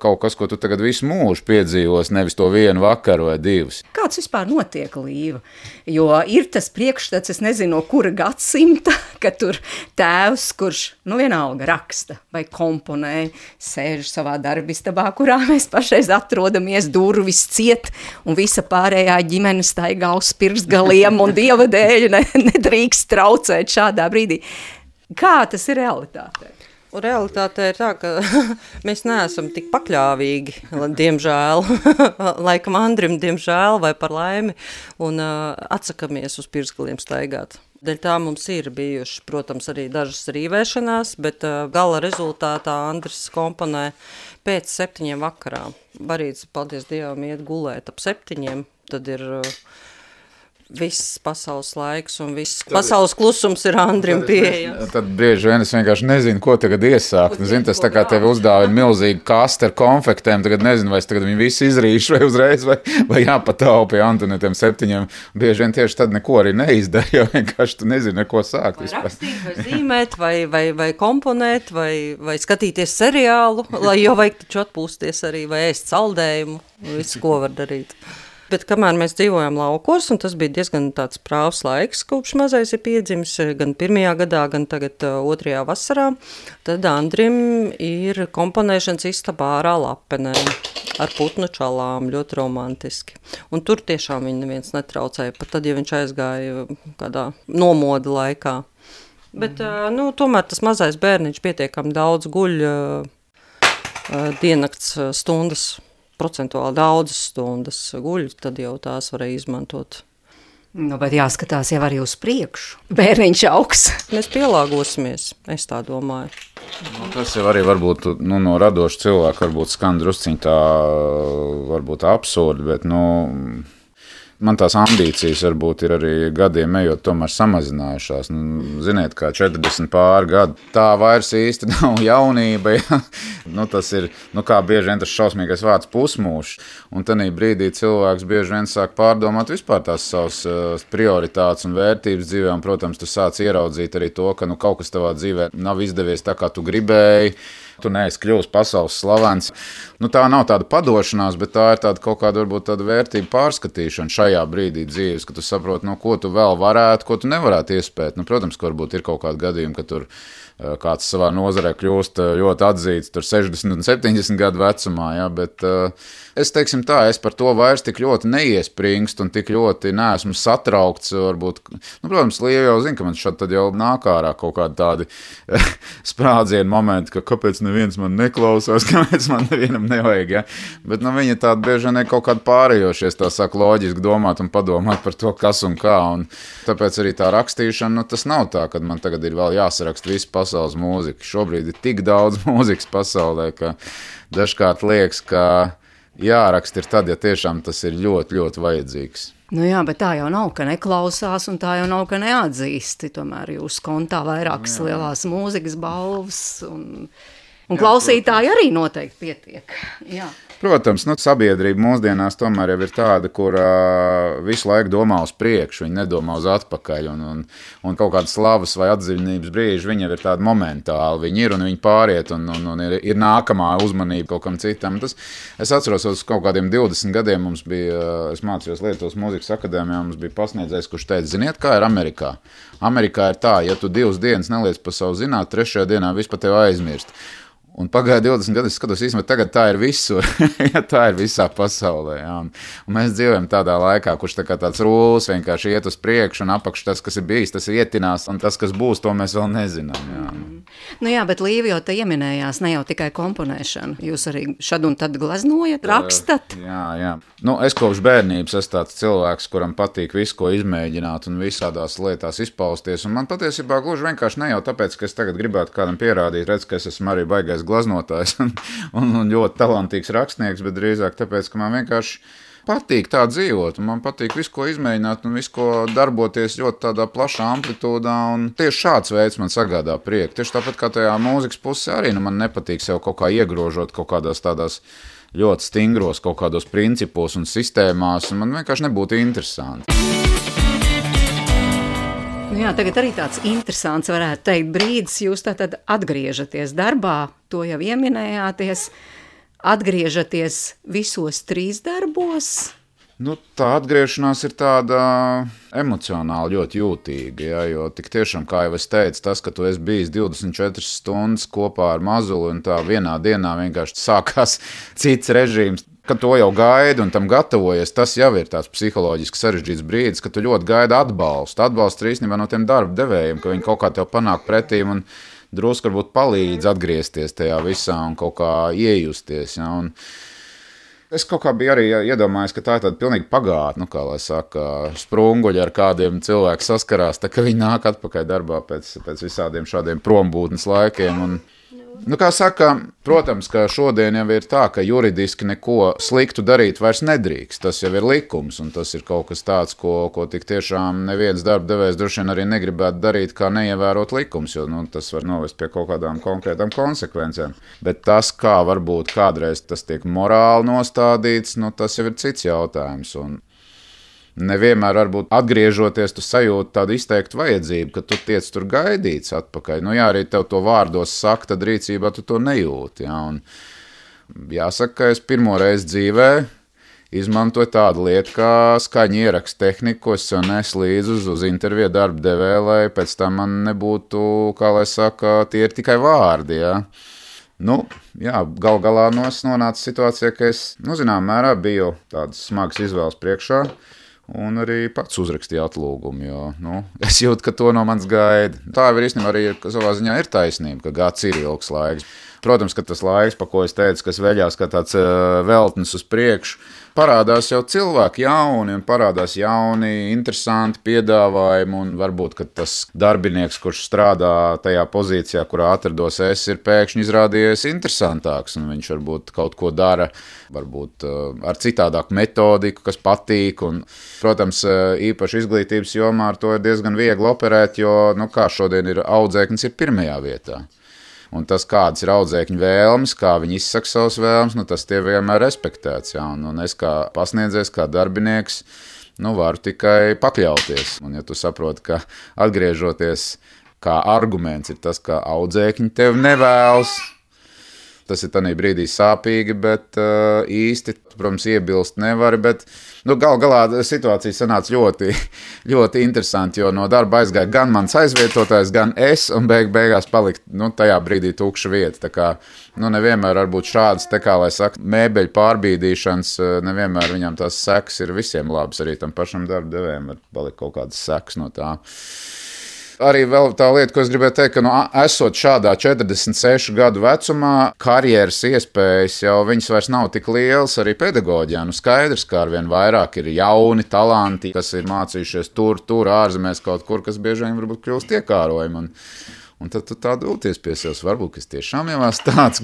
Speaker 5: kaut kas, ko tu tagad visu mūžu piedzīvos, nevis to 1 vakaru vai 2.
Speaker 3: Kāds vispār notiek, Līva? Jo ir tas priekšstats, es nezinu, no kura gadsimta, ka tur tēvs, kurš, vienalga raksta vai komponē, sēž savā darbistabā, kurā mēs pašreiz atrodamies, durvis ciet, un visa pārējā ģimene staigā uz pirkstgaliem, un Dieva dēļ nedrīkst traucēt šādā brīdī. Kā tas ir realitātē?
Speaker 4: Realitāte ir tā, ka mēs neesam tik pakļāvīgi, diemžēl, laikam Andrim, diemžēl, vai par laimi, un atsakamies uz pirkstgaliem staigāt. Dēļ tā mums ir bijuši, protams, arī dažas rīvēšanās, bet gala rezultātā Andris komponē pēc 7 vakarā. Barīts, paldies Dievam, iet gulēt ap 7, tad ir viss pasaules laiks un viss pasaules klusums ir Andrim pieejams.
Speaker 5: Tad bieži vien es vienkārši nezinu, ko tagad iesākt. Zini, tas tā kā tevi uzdāvina milzīgi kaste ar konfektēm, tagad nezinu, vai es tagad viņu visu izrīšu vai uzreiz, vai jāpataupa pie Antonetiem 7. Bieži vien tieši tad neko arī neizdara, jo vienkārši tu nezini, ko sākt.
Speaker 4: Vai rakstīt, vai zīmēt, vai komponēt, vai skatīties seriālu, jo vajag taču atpūsties arī, vai ēst saldējumu, visu, ko var darīt. Bet kamēr mēs dzīvojam laukos, un tas bija diezgan tāds prāvs laiks, kopš mazais ir piedzimis, gan 1. gadā, gan tagad 2. vasarā, tad Andrim ir komponēšanas istabā ārā Lapenē ar putnu čalām, ļoti romantiski. Un tur tiešām viņu neviens netraucēja, pat tad, ja viņš aizgāja kādā nomoda laikā. Bet, tomēr tas mazais bērniņš pietiekami daudz guļ diennakts stundas, procentuāli daudzas stundas guļ, tad jau tās varēja izmantot.
Speaker 3: Bet jāskatās jau arī uz priekšu. Bērniņš augs.
Speaker 4: Mēs pielāgosimies, es tā domāju.
Speaker 5: Tas jau arī varbūt no radoša cilvēka varbūt skan drusciņ tā varbūt absurdi, bet man tās ambīcijas varbūt ir arī gadiem ejot tomēr samazinājušās. Ziniet, kā 40 pāri gadu. Tā vairs īsti nav jaunība. Ja? Tas ir, kā bieži vien tas šausmīgais vārds pusmūžs. Un tanī brīdī cilvēks bieži vien sāk pārdomāt vispār tās savas prioritātes un vērtības dzīvē. Un, protams, tu sāc ieraudzīt arī to, ka kaut kas tavā dzīvē nav izdevies tā, kā tu gribēji. Tu neesi kļuvis pasaules slavens. Tā nav tāda padošanās, bet tā ir tāda kaut kāda varbūt tāda vērtība pārskatīšana šajā brīdī dzīves, ka tu saproti, ko tu vēl varētu, ko tu nevarētu iespēt. Protams, ka varbūt ir kaut kādi gadījumi, ka tur kāds savā nozarē kļūst ļoti atzīts, tur 60 un 70 gadu vecumā, ja, bet es teiksim tā, es par to vairs tik ļoti neiespringstu un tik ļoti neesmu satraukts, varbūt, protams, Līva jau zina, ka man šad tad jau nāk ārā kaut kādi tādi sprādzienu momenti, ka kāpēc neviens man neklausās, kāpēc man nevienam nevajag, ja, bet viņa tāda bieži vien kaut kādi pārējošies, tā sāk loģiski domāt un padomāt par to, kas un kā, un tāpēc arī tā rakstīšana, tas nav tā, kad man tagad ir vēl jāsarakst visu pasaules mūzika. Šobrīd ir tik daudz mūzikas pasaulē, ka dažkārt liekas, ka jāraksta ir tad, ja tiešām tas ir ļoti, ļoti vajadzīgs.
Speaker 3: Jā, bet tā jau nav, ka neklausās, un tā jau nav, ka neatzīsti. Tomēr jūs kontā vairākas lielās mūzikas balvas, un klausītāji arī noteikti pietiek. Jā.
Speaker 5: Protams, sabiedrība mūsdienās tomēr jau ir tāda, kur visu laiku domā uz priekšu, viņi nedomā uz atpakaļ, un kaut kādas slavas vai atziņības brīži viņi jau ir tādi momentāli, viņi ir un viņi pāriet, un ir nākamā uzmanība kaut kam citam. Es atceros, uz kaut kādiem 20 gadiem mums bija, es mācījos Lietuvas mūzikas akadēmijā, mums bija pasniedzējs, kurš teica, ziniet, kā ir Amerikā? Amerikā ir tā, ja tu 2 dienas neliec pa savu zināt, 3. dienā viss pa tevi aizmirst. Un pagāja 20 gadi, es skatos īstenībā, tagad tā ir visur, ja tā ir visā pasaulē. Ja? Un mēs dzīvojam tādā laikā, kurš tā kā tāds rūlis vienkārši iet uz priekšu un apakš tas, kas ir bijis, tas ietinās, un tas, kas būs, to mēs vēl nezinām. Ja?
Speaker 3: Jā, bet Līva jau te ieminējās, ne jau tikai komponēšana. Jūs arī šad un tad gleznojat, rakstat?
Speaker 5: Jā. Es kopš bērnības esmu tāds cilvēks, kuram patīk visu, ko izmēģināt un visādās lietās izpausties. Un man patiesībā gluži vienkārši ne jau tāpēc, ka es tagad gribētu kādam pierādīt, redz, ka es esmu arī baigais glaznotājs un ļoti talantīgs rakstnieks, bet drīzāk tāpēc, ka man vienkārši patīk tā dzīvot, un man patīk visu, ko izmēģināt, un visu, ko darboties ļoti tādā plašā amplitūdā, un tieši šāds veids man sagādā prieku. Tieši tāpat kā tajā mūzikas pusē arī, man nepatīk sev kaut kā iegrožot kaut kādās tādās ļoti stingros kaut kādos principos un sistēmās, un man vienkārši nebūtu interesanti.
Speaker 3: Jā, tagad arī tāds interesants, varētu teikt, brīdis. Jūs tātad atgriežaties darbā, to jau ieminējāties, atgriežaties visos 3 darbos.
Speaker 5: Tā atgriešanās ir tāda emocionāli ļoti jūtīga, ja, jo tik tiešām, kā jau es teicu, tas, ka tu esi bijis 24 stundas kopā ar mazuli un tā vienā dienā vienkārši sākās cits režīms, ka to jau gaidi un tam gatavojies, tas jau ir tāds psiholoģiski sarežģīts brīdis, ka tu ļoti gaidi atbalstu. Atbalsts ir īstenībā no tiem darba devējiem, ka viņi kaut kā tev panāk pretīm un drusku varbūt palīdz atgriezties tajā visā un kaut kā iejusties. Ja, un es kaut kā biju arī iedomājies, ka tā ir tāda pilnīgi pagātne, kā lai saka, sprunguļi ar kādiem cilvēki saskarās, tā ka viņi nāk atpakaļ darbā pēc visādiem šādiem prombūtnes laikiem. Un, kā saka, protams, ka šodien jau ir tā, ka juridiski neko sliktu darīt vairs nedrīkst. Tas jau ir likums, un tas ir kaut kas tāds, ko tik tiešām neviens darba devējs droši vien arī negribētu darīt, kā neievērot likums, jo tas var novest pie kaut kādām konkrētām konsekvencēm. Bet tas, kā varbūt kādreiz tas tiek morāli nostādīts, tas jau ir cits jautājums. Un nevienmēr, varbūt atgriežoties, tu sajūti tādu izteiktu vajadzību, ka tu tiec tur gaidīts atpakaļ. Jā, arī tev to vārdos saka, tad rīcībā tu to nejūti. Ja? Un jāsaka, ka es pirmo reizi dzīvē izmantoju tādu lietu kā skaņu ierakstu tehniku, ko es jau nesu līdzi uz interviju darba devēju, lai pēc tam man nebūtu, kā lai saka, tie ir tikai vārdi. Ja? Gal galā es nonācu situācijā, ka es, zinām mērā, biju tādas smagas izvēles priekšā. Un arī pats uzrakstīju atlūgumu, jo es jūtu, ka to no manis gaida. Tā jau īstenībā arī savā ziņā ir taisnība, ka gads ir ilgs laiks. Protams, ka tas laiks, pa ko es teicu, kas veļās kā tāds veltnis uz priekšu, parādās jau cilvēki jauni un parādās jauni, interesanti piedāvājumi. Un varbūt, ka tas darbinieks, kurš strādā tajā pozīcijā, kurā atrados es, ir pēkšņi izrādījies interesantāks. Un viņš varbūt kaut ko dara, varbūt ar citādāku metodiku, kas patīk. Un, protams, īpaši izglītības jomā ar to ir diezgan viegli operēt, jo, kā šodien ir audzēknis, ir pirmajā vietā. Un tas, kādas ir audzēkņu vēlmes, kā viņi izsaka savas vēlmes, tas tie vienmēr respektēts. Ja? Un es kā pasniedzējs, kā darbinieks, varu tikai pakļauties. Un ja tu saproti, ka atgriežoties kā arguments ir tas, ka audzēkņi tevi nevēlas, tas ir tādā brīdī sāpīgi, bet īsti, protams, iebilst nevari. Bet gal galā situācija sanāca ļoti, ļoti interesanti, jo no darba aizgāja gan mans aizvietotājs, gan es, un beigās palika tajā brīdī tukša vieta. Tā kā nevienmēr varbūt šādas, kā lai saka, mēbeļu pārbīdīšanas, nevienmēr viņam tās sekas ir visiem labas, arī tam pašam darba devējiem var palikt kaut kādas sekas no tā. Arī vēl tā lieta, ko es gribēju teikt, ka esot šādā 46 gadu vecumā, karjeras iespējas jau viņas vairs nav tik lielas arī pedagoģijā. Skaidrs, ka arvien vairāk ir jauni talanti, kas ir mācījušies tur ārzemēs kaut kur, kas bieži vien varbūt kļūst iekārojumi. Un tad tu tā dūties pie sevis, varbūt, kas tiešām jau tāds,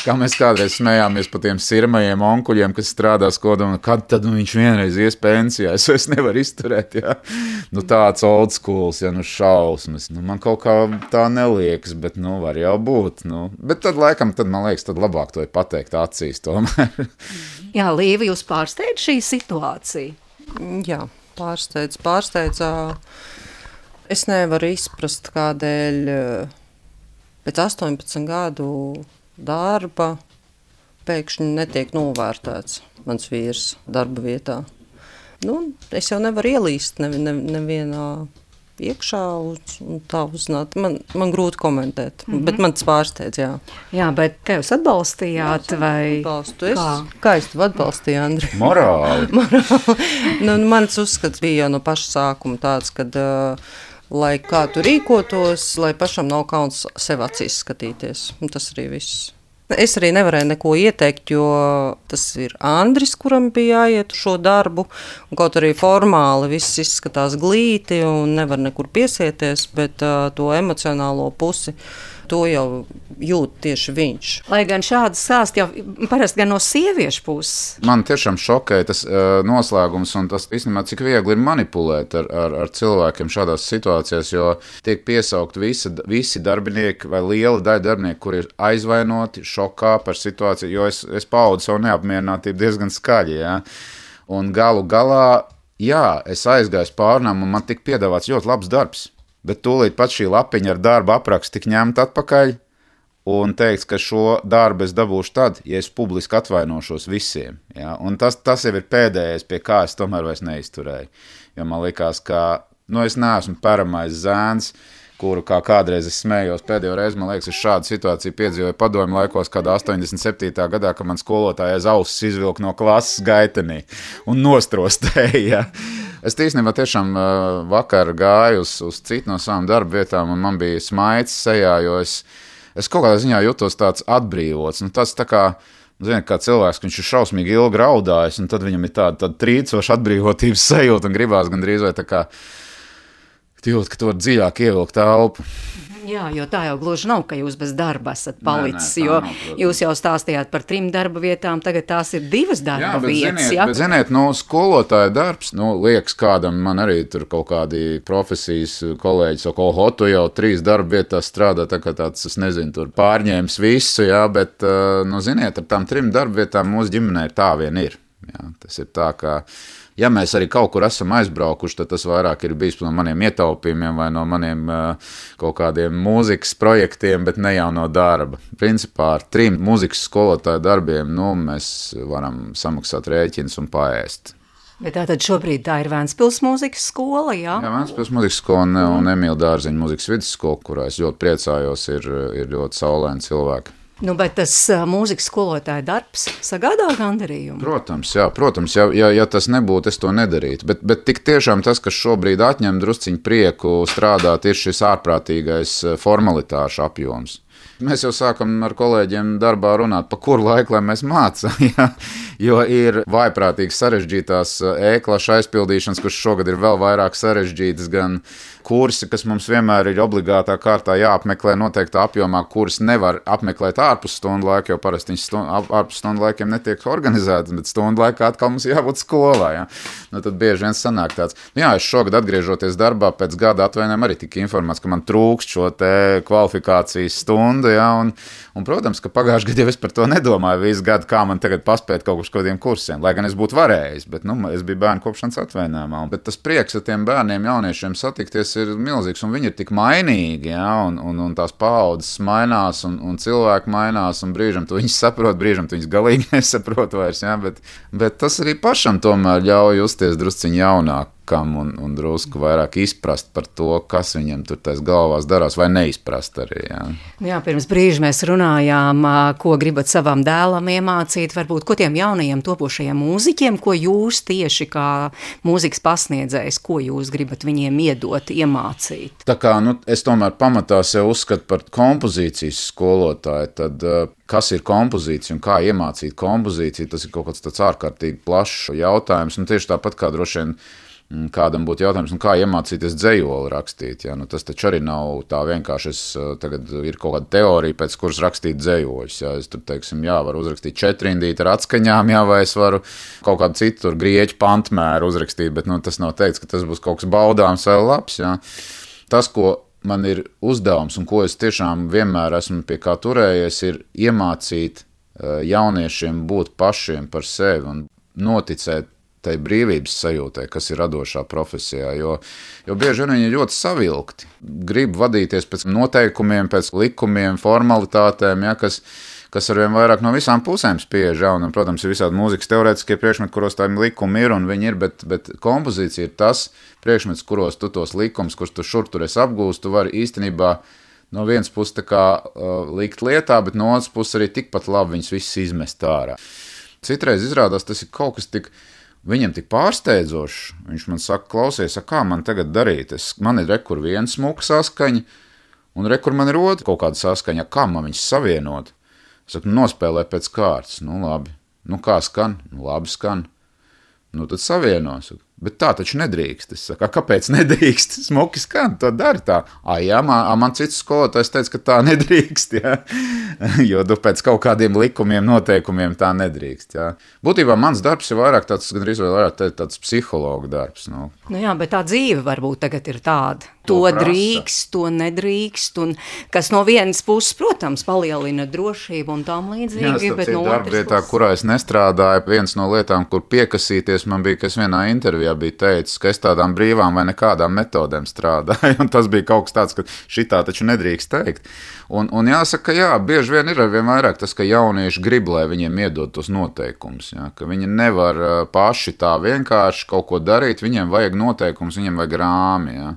Speaker 5: kā mēs kādreiz smējāmies par tiem sirmajiem onkuļiem, kas strādā skolā, kad tad viņš vienreiz ies pensijā, es nevaru izturēt, ja? Tāds old schools, ja, šausmas, man kaut kā tā neliekas, bet, var jau būt, bet tad laikam, man liekas, tad labāk to ir pateikt acīs tomēr.
Speaker 3: Jā, Līva, jūs pārsteidz šī situācija?
Speaker 4: Jā, pārsteidz. Es nevaru izprast, kādēļ pēc 18 gadu darba pēkšņi netiek novērtēts mans vīrs darba vietā. Es jau nevaru ielīst nevienā iekšā un tā uzzināt. Man grūti komentēt, bet man tas pārsteidz, jā.
Speaker 3: Jā, bet kā jūs atbalstījāt?
Speaker 4: Atbalstu es. Kā es tev atbalstīju, Andri?
Speaker 5: Morāli.
Speaker 4: Mans uzskats bija jau no paša sākuma tāds, kad lai kā tu rīkotos, lai pašam nav kauns sev acīs skatīties. Un tas arī viss. Es arī nevarēju neko ieteikt, jo tas ir Andris, kuram bija jāiet šo darbu. Un kaut arī formāli viss izskatās glīti un nevar nekur piesieties, bet to emocionālo pusi to jau jūt tieši viņš.
Speaker 3: Lai gan šādi stāsti jau parasti gan no sieviešu puses.
Speaker 5: Man tiešām šokēja tas noslēgums, un tas īstenībā cik viegli ir manipulēt ar cilvēkiem šādās situācijās, jo tiek piesaukt visi darbinieki vai liela daļa darbinieku, kuri ir aizvainoti, šokā par situāciju, jo es paudu savu neapmierinātību diezgan skaļi, ja? Un galu galā, jā, es aizgāju pārnām, un man tika piedāvāts ļoti labs darbs, bet tūlīt pat šī lapiņa ar darba aprakstu tika ņemta atpakaļ, un teikts, ka šo darbu es dabūšu tad, ja es publiski atvainošos visiem. Ja? Un tas jau ir pēdējais, pie kā es tomēr vairs neizturēju. Jo man likās, ka es neesmu peramais zēns, kuru kā kādreiz es smējos. Pēdējo reizi, man liekas, es šādu situāciju piedzīvoju padomju laikos, kādā 87. gadā, kad man skolotāja aiz ausis izvilka no klases gaitenī un nostrostēja. Ja? Es īstenībā tiešām vakar gāju uz citu no savām darba vietām, un man bija smaids sejā, jo es kaut kādā ziņā jutos tāds atbrīvots. Tas tā kā, ziniet, kā cilvēks, ka viņš ir šausmīgi ilgi raudājis, un tad viņam ir tāda trīcoša atbrīvotības sajūta, un gribās gandrīz vai tā kā jūt, ka tu vari dziļāk ievilkt elpu.
Speaker 3: Jā, jo tā jau gluži nav, ka jūs bez darba esat palicis, jo jūs jau stāstījāt par 3 darba vietām, tagad tās ir 2 darba vietas.
Speaker 5: Bet ziniet, skolotāja darbs, liekas kādam, man arī tur kaut kādi profesijas kolēģi saka, tu jau 3 darba vietās strādā, tā kā tāds, es nezinu, tur pārņēmis visu, jā, bet, ziniet, ar tām 3 darba vietām mūsu ģimenē tā vien ir. Jā, tas ir tā, ka ja mēs arī kaut kur esam aizbraukuši, tad tas vairāk ir bijis no maniem ietaupījumiem vai no maniem kaut kādiem mūzikas projektiem, bet ne jau no darba. Principā ar 3 mūzikas skolotāju darbiem mēs varam samaksāt rēķinus un paēst.
Speaker 3: Bet tātad šobrīd tā ir Vēncpils mūzikas skola, jā?
Speaker 5: Jā, Vēncpils mūzikas skola un Emīla Dārziņa mūzikas vidusskola, kurā es ļoti priecājos, ir ļoti saulaini cilvēki.
Speaker 3: Bet tas mūzikas skolotāja darbs sagādā gandarījumu?
Speaker 5: Protams, ja tas nebūtu, es to nedarītu. Bet tik tiešām tas, kas šobrīd atņem drusciņu prieku strādāt, ir šis ārprātīgais formalitāšu apjoms. Mēs jau sākam ar kolēģiem darbā runāt, pa kuru laiku, lai mēs mācām, ja? Jo ir vaiprātīgi sarežģītās e-klašu aizpildīšanas, kurš šogad ir vēl vairāk sarežģītas, gan kursi, kas mums vienmēr ir obligātā kārtā jāapmeklē noteiktā apjomā, kuras nevar apmeklēt ārpus stundu laika, jo parasti viņas ārpus stundu laikiem netiek organizētas, bet stundu laikā atkal mums jābūt skolā. Ja? Tad bieži vien sanāk tāds, es šogad atgriežoties darbā pēc gada atvainājuma arī tika informēts, ka man trūkst šo te kvalifikācijas stundu, ja? Un, protams, ka pagājušajā gadā jau es par to nedomāju visu gadu, kā man tagad paspēt kaut kādiem kursiem, lai gan es būtu varējis, bet es biju bērnu kopšanas atvainājumā. Bet tas prieks ar tiem bērniem, jauniešiem satikties ir milzīgs, un viņi ir tik mainīgi, ja? un tās paaudzes mainās, un cilvēki mainās, un brīžam tu viņus saprot, brīžam tu viņus galīgi nesaprot vairs, ja? Bet tas arī pašam tomēr ļauj justies drusciņ jaunāk. Un drusku vairāk izprast par to, kas viņam tur tais galvās darās, vai neizprast arī.
Speaker 3: Jā, pirms brīža mēs runājām, ko gribat savam dēlam iemācīt, varbūt ko tiem jaunajiem topošajiem mūziķiem, ko jūs tieši kā mūzikas pasniedzējs, ko jūs gribat viņiem iedot, iemācīt?
Speaker 5: Tā kā es tomēr pamatā sev uzskatu par kompozīcijas skolotāju, tad kas ir kompozīcija un kā iemācīt kompozīciju, tas ir kaut kāds tāds ārkārtīgi plašs jautājums, un tieši tāpat kā droši vien kādam būtu jautājums, kā iemācīties dzejoli rakstīt. Ja? Tas taču arī nav tā vienkārši. Tagad ir kaut kāda teorija, pēc kuras rakstīt dzejoļus. Ja? Es tur, varu uzrakstīt 4-rindīti ar atskaņām, vai es varu kaut kādu citu grieķu pantmēru uzrakstīt, bet tas nav teikts, ka tas būs kaut kas baudāms vai labs. Ja? Tas, ko man ir uzdevums un ko es tiešām vienmēr esmu pie kā turējies, ir iemācīt jauniešiem būt pašiem par sevi un noticēt tai brīvības sajūtai, kas ir radošā profesijā, jo bieži vien viņi ir ļoti savilkti. Grib vadīties pēc noteikumiem, pēc likumiem, formalitātēm, ja, kas arvien vairāk no visām pusēm spiež. Ja, un, protams, ir visādi mūzikas teorētiskie priekšmeti, kuros tā likumi ir, un viņi ir, bet kompozīcija ir tas priekšmets, kuros tu tos likumus, kurus tu šur esi apgūst, tu vari īstenībā no vienas puses tā kā likt lietā, bet no otras puses arī tikpat labi viņus visus izmest ārā. Citreiz izrādās, tas ir kaut kas viņam tik pārsteidzošs. Viņš man saka, klausies, kā man tagad darīt? Man ir rekur viena smuka saskaņa, un rekur man ir otra kaut kāda saskaņa. Kā man viņus savienot? Es saku, nospēlē pēc kārtas. Labi. Kā skan? Labi skan. Tad savienos. Bet tā taču nedrīkst. Es saku, kāpēc nedrīkst? Smuki skan, to dari tā. Jā, man cits skolotājs teica, ka tā nedrīkst, jā. Jo pēc kaut kādiem likumiem, noteikumiem tā nedrīkst, jā. Būtībā mans darbs ir vairāk tāds, gandrīz vēl vairāk tāds psihologa darbs.
Speaker 3: Nu jā, bet tā dzīve varbūt tagad ir tāda. To drīkst, to nedrīkst, un kas no vienas puses, protams, palielina drošību un tam līdzīgi, bet no otras
Speaker 5: darbvietā, kurā es nestrādāju, viens no lietām, kur piekasīties, man bija, kas vienā intervijā bija teicis, ka es tādām brīvām vai nekādām metodēm strādāju, un tas bija kaut kas tāds, ka šitā taču nedrīkst teikt. Un jāsaka, jā, bieži vien ir arvien vairāk tas, ka jaunieši grib, lai viņiem iedod tos noteikumus, jā, ka viņi nevar paši tā vienkārši kaut ko darīt, viņiem vajag noteikumus, viņiem vajag rāmi, jā.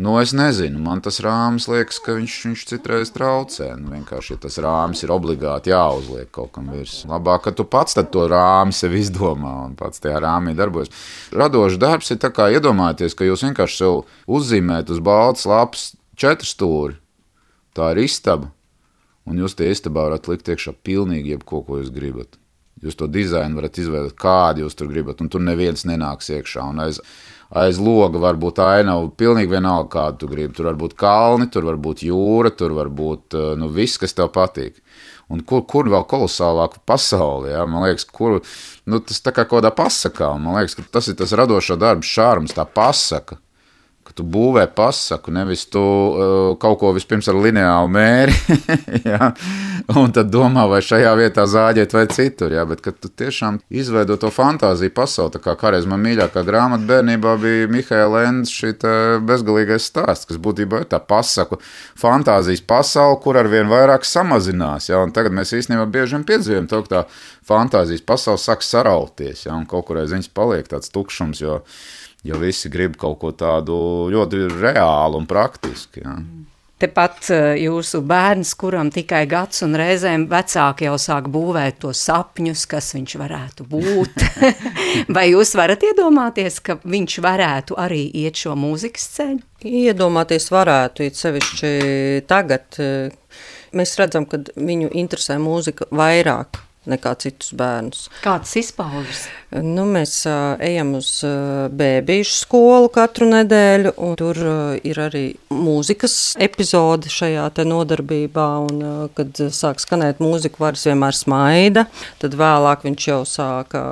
Speaker 5: Nu, es nezinu, man tas rāmis liekas, ka viņš citreiz traucē. Nu, vienkārši, ja tas rāmis ir obligāti jāuzliek kaut kam virs. Labāk, ka tu pats tad to rāmi sev izdomā un pats tajā rāmī darbojas. Radošs darbs ir tā kā iedomājieties, ka jūs vienkārši sev uzzīmēt uz baltas lapas 4 stūri. Tā ir istaba, un jūs tie istabā varat likt iekšā pilnīgi jebko, ko jūs gribat. Jūs to dizainu varat izveidot, kādu jūs tur gribat, un tur neviens nenāks iekšā. Un aiz loga var būt ainava, pilnīgi vienalga, kādu tu gribi. Tur var būt kalni, tur var būt jūra, tur var būt viss, kas tev patīk. Un kur vēl kolosālāk pasauli, jā? Man liekas, tas tā kā kādā pasakā, man liekas, ka tas ir tas radošo darbu šārms, tā pasaka. Ka tu būvē pasaku, nevis tu kaut ko vispirms ar lineālu mēri, ja? Un tad domā, vai šajā vietā zāģēt vai citur, ja? Bet kad tu tiešām izveido to fantāziju pasauli, tā kā kādreiz man mīļākā grāmata bērnībā bija Mihaela Endes šita bezgalīgais stāsts, kas būtībā ir tā pasaku fantāzijas pasauli, kur arvien vairāk samazinās, ja? Un tagad mēs īstenībā bieži vien piedzīvojam to, ka tā fantāzijas pasauli sāk sarauties, ja? Un kaut kur aiz viņas paliek tāds tukšums, jo visi grib kaut ko tādu ļoti reālu un praktisku. Ja.
Speaker 3: Tepat jūsu bērns, kuram tikai gads un reizēm vecāki jau sāk būvēt tos sapņus, kas viņš varētu būt. Vai jūs varat iedomāties, ka viņš varētu arī iet šo mūzikas ceļu?
Speaker 4: Iedomāties varētu, it sevišķi tagad. Mēs redzam, ka viņu interesē mūzika vairāk nekā citus bērnus.
Speaker 3: Kāds izpaužas?
Speaker 4: Nu, mēs ejam uz bēbīšu skolu katru nedēļu, un tur ir arī mūzikas epizode šajā te nodarbībā, un kad sāk skanēt mūziku, varas vienmēr smaida, tad vēlāk viņš jau sāka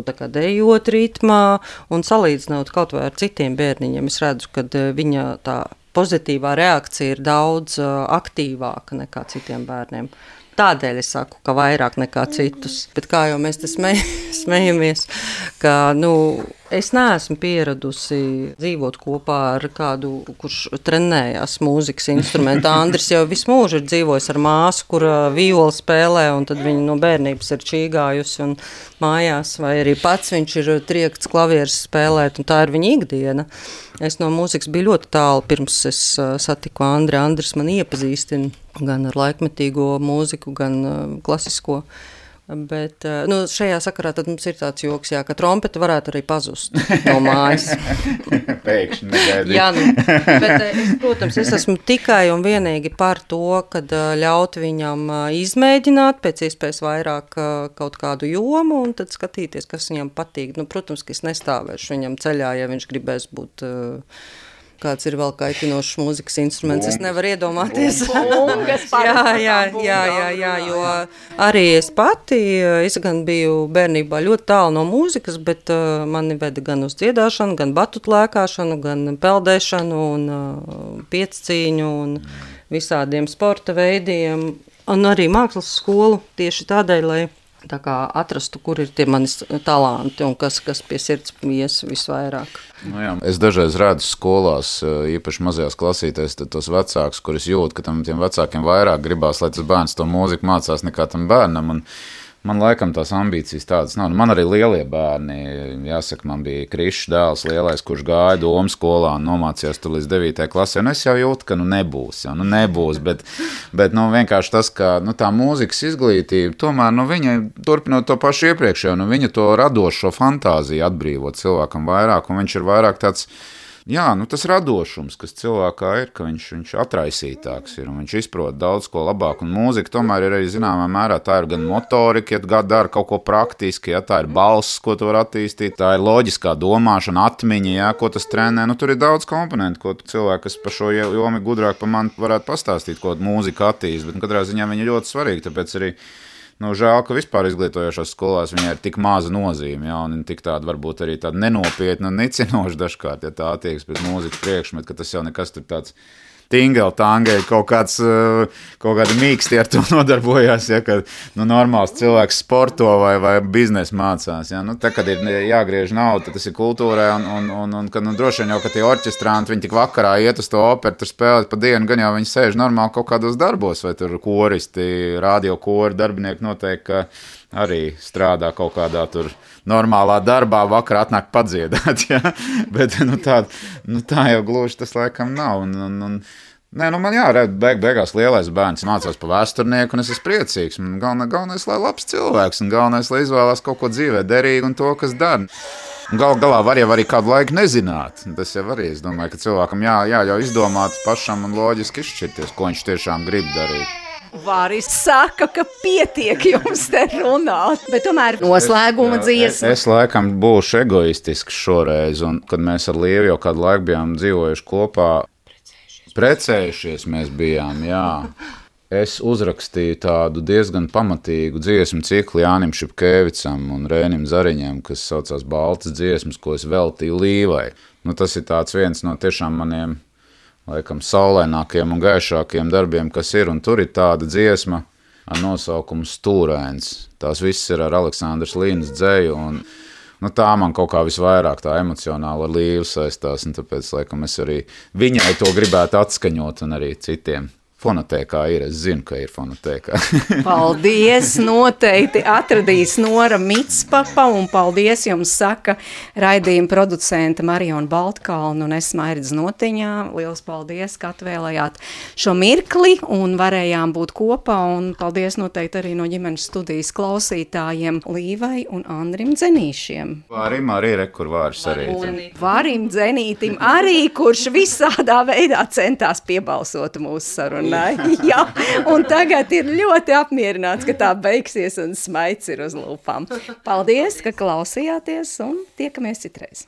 Speaker 4: tā kā dejot ritmā, un salīdzinot kaut vai ar citiem bērniņiem, es redzu, ka viņa tā pozitīvā reakcija ir daudz aktīvāka nekā citiem bērniem. Tādēļ es saku, ka vairāk nekā citus. Bet kā jau mēs te smejamies, ka es neesmu pieradusi dzīvot kopā ar kādu, kurš trenējās mūzikas instrumentu. Andris jau visu mūžu ir dzīvojis ar māsu, kur violi spēlē, un tad viņa no bērnības ir čīgājusi un mājās, vai arī pats viņš ir triekts klavieres spēlēt, un tā ir viņa ikdiena. Es no mūzikas biju ļoti tālu, pirms es satiku Andri. Andris man iepazīstina gan ar laikmetīgo mūziku, gan klasisko. Bet šajā sakarā tad mums ir tāds joks, jā, ka trompeta varētu arī pazust no mājas.
Speaker 5: Pēkšņi negaidīt.
Speaker 4: Jā, bet protams, es esmu tikai un vienīgi par to, kad ļaut viņam izmēģināt pēc iespējas vairāk kaut kādu jomu un tad skatīties, kas viņam patīk. Protams, ka es nestāvēšu viņam ceļā, ja viņš gribēs būt... Kāds ir vēl kaitinošs mūzikas instruments, es nevaru iedomāties. Jā, jo arī es pati, es gan biju bērnībā ļoti tālu no mūzikas, bet mani veda gan uz dziedāšanu, gan batutu lēkāšanu, gan peldēšanu un piecīņu un visādiem sporta veidiem. Un arī mākslas skolu tieši tādēļ, lai tā kā atrastu, kur ir tie manis talanti un kas pie sirds ies visvairāk.
Speaker 5: Jā, es dažreiz redzu skolās, īpaši mazajās klasītēs, tos vecākus, kurus jūt, ka tiem vecākiem vairāk gribās, lai tas bērns to mūziku mācās nekā tam bērnam. Un man laikam tās ambīcijas tādas nav. Man arī lielie bērni, jāsaka, man bija Krišs dēls lielais, kurš gāja Domu skolā un nomācījās tur līdz 9. klasē. Un es jau jūtu, ka nebūs, bet vienkārši tas, ka tā mūzikas izglītība, tomēr viņa turpinot to pašu iepriekšējo, viņa to radošo fantāziju atbrīvot cilvēkam vairāk, un viņš ir vairāk tāds jā, tas radošums, kas cilvēkā ir, ka viņš atraisītāks ir un viņš izprot daudz ko labāk. Un mūzika tomēr ir arī zināmā mērā, tā ir gan motorika, ja dara kaut ko praktiski, ja tā ir balss, ko tu var attīstīt, tā ir loģiskā domāšana, atmiņa, ja, ko tas trenē. Tur ir daudz komponentu, ko cilvēki, kas par šo jomu gudrāk par mani varētu pastāstīt, ko mūzika attīst, bet katrā ziņā viņi ir ļoti svarīgi, tāpēc arī žēl, ka vispār izglītojošās skolās viņai ir tik maza nozīme, ja, un tik tāda varbūt arī tāda nenopietna un nicinoša dažkārt, ja tā attieksme pret mūzikas priekšmetu, ka tas jau nekas tur tāds tingeli, kaut kāda mīksti ar to nodarbojās, ja, kad normāls cilvēks sporto vai biznesu mācās. Ja. Tā, kad ir jāgriež nauda, tad tas ir kultūrai, un kad droši vien jau, ka tie orķestranti, viņi tik vakarā iet uz to operu, tur spēlēt pa dienu, gan jau viņi sēž normāli kaut kādos darbos, vai tur koristi, radio kori, darbinieki noteikti, ka arī strādā kaut kādā tur normālā darbā, vakarā atnāk padziedāt, ja? Bet tā jau gluži tas laikam nav. Man beigās lielais bērns mācās pa vēsturnieku, un es esmu priecīgs. Galvenais, lai labs cilvēks, un galvenais, lai izvēlās kaut ko dzīvē derīgu un to, kas dara. Galā var jau arī kādu laiku nezināt. Tas jau arī, es domāju, ka cilvēkam jāļauj izdomāt pašam un loģiski izšķirties, ko viņš tiešām grib darīt.
Speaker 3: Vāris saka, ka pietiek jums te runāt, bet tomēr noslēguma dziesma.
Speaker 5: Es laikam būšu egoistisks šoreiz, un kad mēs ar Lievu jau kādu laiku bijām dzīvojuši kopā, precējušies mēs bijām, jā. Es uzrakstīju tādu diezgan pamatīgu dziesmu ciklu Jānim Šipkēvicam un Rēnim Zariņam, kas saucās Baltas dziesmas, ko es veltīju Līvai. Tas ir tāds viens no tiešām maniem laikam saulainākiem un gaišākiem darbiem, kas ir, un tur ir tāda dziesma ar nosaukumu Stūrēns. Tās viss ir ar Aleksandras Līnas dzeju, un tā man kaut kā visvairāk tā emocionāli ar Līvu saistās, un tāpēc, laikam, es arī viņai to gribētu atskaņot, un arī citiem. Fonotēkā ir, es zinu, ka ir fonotēkā.
Speaker 3: Paldies, noteikti atradīs Nora Mitspapa, un paldies jums saka raidījuma producenta Mariona Baltkalna un es Mairidz Notiņā. Liels paldies, ka atvēlējāt šo mirkli un varējām būt kopā, un paldies noteikti arī no ģimenes studijas klausītājiem Līvai un Andrim Dzenīšiem.
Speaker 5: Vārim arī kur Vāris arī.
Speaker 3: Vārim Dzenītim arī, kurš visādā veidā centās piebalsot mūsu sarunu. Jā, un tagad ir ļoti apmierināts, ka tā beigsies un smaids ir uz lūpām. Paldies, ka klausījāties un tiekamies citreiz.